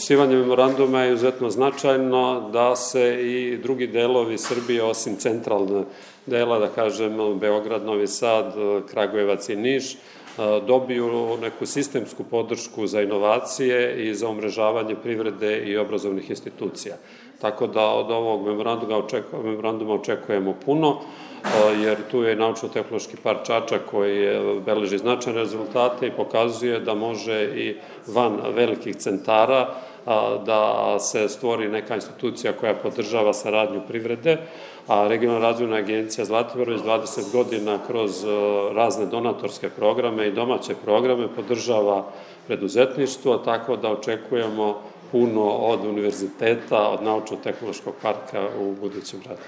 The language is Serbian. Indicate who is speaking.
Speaker 1: Potpisivanje memoranduma je izuzetno značajno da se i drugi delovi Srbije, osim centralne dela, da kažem, Beograd, Novi Sad, Kragujevac i Niš, dobiju neku sistemsku podršku za inovacije i za umrežavanje privrede i obrazovnih institucija. Tako da od ovog memoranduma očekujemo puno, jer tu je Naučno-tehnološki park Čačak koji beleži značajne rezultate i pokazuje da može i van velikih centara da se stvori neka institucija koja podržava saradnju privrede, a Regionalna razvojna agencija Zlatibor već 20 godina kroz razne donatorske programe i domaće programe podržava preduzetništvo, tako da očekujemo puno od univerziteta, od Naučno-tehnološkog parka u budućem radu.